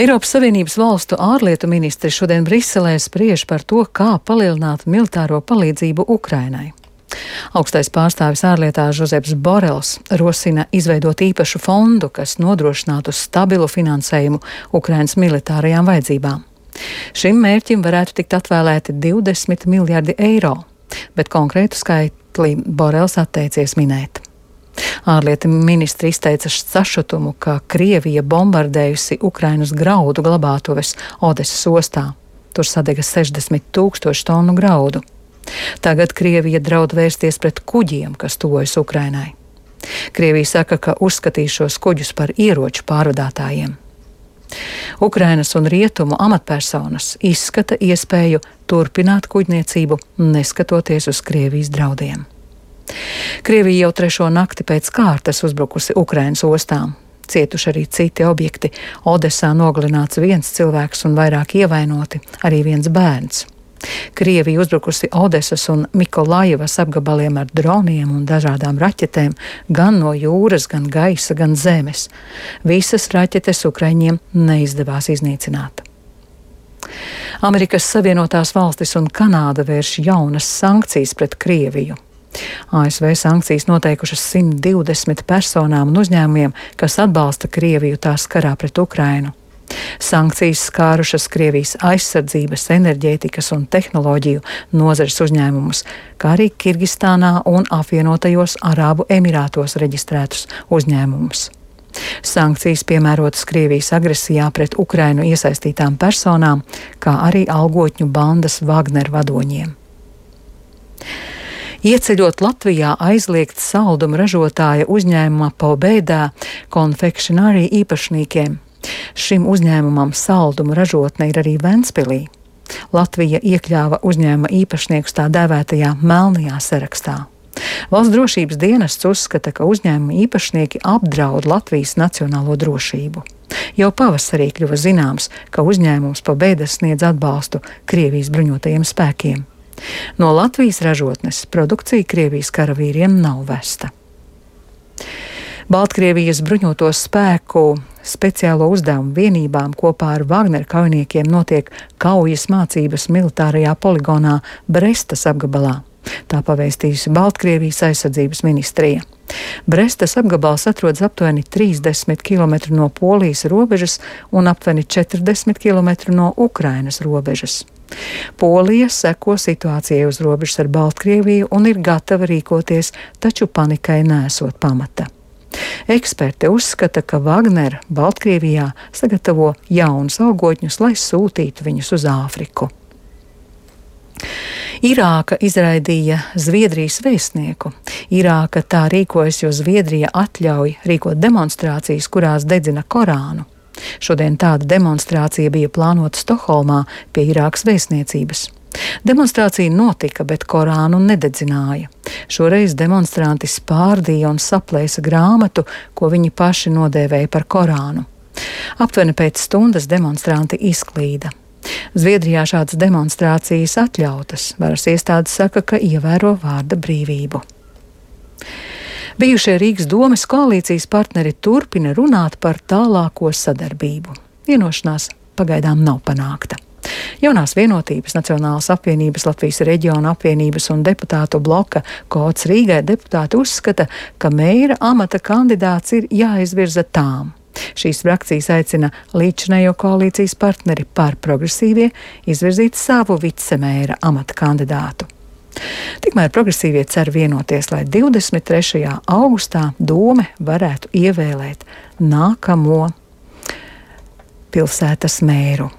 Eiropas Savienības valstu ārlietu ministri šodien Briselē spriež par to, kā palielināt militāro palīdzību Ukrainai. Augstais pārstāvis ārlietās Žozeps Borels rosina izveidot īpašu fondu, kas nodrošinātu stabilu finansējumu Ukrainas militārajām vajadzībām. Šim mērķim varētu tikt atvēlēti 20 miljardi eiro, bet konkrētu skaitli Borels atteicies minēt. Ārlietu ministri izteica sašutumu, ka Krievija bombardējusi Ukrainas graudu glabātuves Odesas ostā. Tur sadega 60 000 tonu graudu. Tagad Krievija draud vērsties pret kuģiem, kas tuvojas Ukrainai. Krievija saka, ka uzskatīs šos kuģus par ieroču pārvadātājiem. Ukrainas un rietumu amatpersonas izskata iespēju turpināt kuģniecību, neskatoties uz Krievijas draudiem. Krievija jau 3. nakti pēc kārtas uzbrukusi Ukrainas ostām. Cietuši arī citi objekti. Odesā nogalināts 1 cilvēks un vairāk ievainoti, arī 1 bērns. Krievija uzbrukusi Odesas un Mikolajevas apgabaliem ar droniem un dažādām raķetēm, gan no jūras, gan gaisa, gan zemes. Visas raķetes Ukraiņiem neizdevās iznīcināt. Amerikas Savienotās valstis un Kanāda vērš jaunas sankcijas pret Krieviju. ASV sankcijas noteikušas 120 personām un uzņēmumiem, kas atbalsta Krieviju tās karā pret Ukrainu. Sankcijas skārušas Krievijas aizsardzības, enerģētikas un tehnoloģiju nozares uzņēmumus, kā arī Kirgistānā un apvienotajos Arābu Emirātos reģistrētus uzņēmumus. Sankcijas piemērotas Krievijas agresijā pret Ukrainu iesaistītām personām, kā arī algotņu bandas Wagner vadoņiem. Ieceļot Latvijā aizliegts saldumu ražotāja uzņēmuma Pobēdā Confectionery īpašniekiem. Šim uzņēmumam saldumu ražotne ir arī Ventspilī. Latvija iekļāva uzņēmuma īpašniekus tā dēvētajā melnajā sarakstā. Valsts drošības dienests uzskata, ka uzņēmuma īpašnieki apdraud Latvijas nacionālo drošību. Jau pavasarī kļuva zināms, ka uzņēmums Pobēda sniedz atbalstu Krievijas bruņotajiem spēkiem. No Latvijas ražotnes produkcija Krievijas karavīriem nav vesta. Baltkrievijas bruņoto spēku speciālo uzdevumu vienībām kopā ar Wagner kaujiniekiem notiek kaujas mācības militārajā poligonā Brestas apgabalā. Tā pavēstījusi Baltkrievijas aizsardzības ministrija. Brestas apgabals atrodas aptuveni 30 km no Polijas robežas un aptuveni 40 km no Ukrainas robežas. Polija seko situācijai uz robežas ar Baltkrieviju un ir gatava rīkoties, taču panikai nesot pamata. Eksperti uzskata, ka Wagner Baltkrievijā sagatavo jaunus algotņus, lai sūtītu viņus uz Āfriku. Irāka izraidīja Zviedrijas vēstnieku. Irāka tā rīkojas, jo Zviedrija atļauj rīkot demonstrācijas, kurās dedzina Korānu. Šodien tāda demonstrācija bija plānota Stokholmā pie Irākas vēstniecības. Demonstrācija notika, bet Korānu nededzināja. Šoreiz demonstranti spārdīja un saplēsa grāmatu, ko viņi paši nodēvēja par Korānu. Aptuveni pēc stundas demonstranti izklīda. Zviedrijā šādas demonstrācijas atļautas. Varas iestādes saka, ka ievēro vārda brīvību. Bijušie Rīgas domes koalīcijas partneri turpina runāt par tālāko sadarbību. Vienošanās pagaidām nav panākta. Jaunās vienotības, Nacionālās apvienības, Latvijas reģiona apvienības un deputātu bloka Kods Rīgai deputāti uzskata, ka mēra amata kandidāts ir jāizvirza tām. Šīs frakcijas aicina līdzinējo koalīcijas partneri par progresīvie izvirzīt savu vicemēra amata kandidātu. Tikmēr progresīvie cer vienoties, lai 23. augustā dome varētu ievēlēt nākamo pilsētas mēru.